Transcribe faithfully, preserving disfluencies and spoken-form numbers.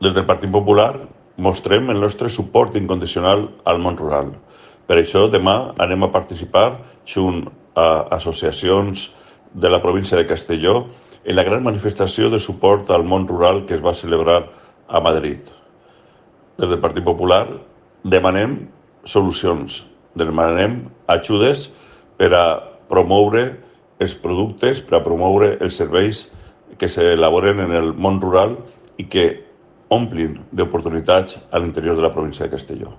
Des del Partit Popular mostrem el nostre suport incondicional al món rural. Per això demà anem a participar junt a associacions de la província de Castelló en la gran manifestació de suport al món rural que es va celebrar a Madrid. Des del Partit Popular demanem solucions, demanem ajudes per a promoure els productes, per a promoure els serveis que s'elaboren en el món rural i que omplin d'oportunitats a l'interior de la província de Castelló.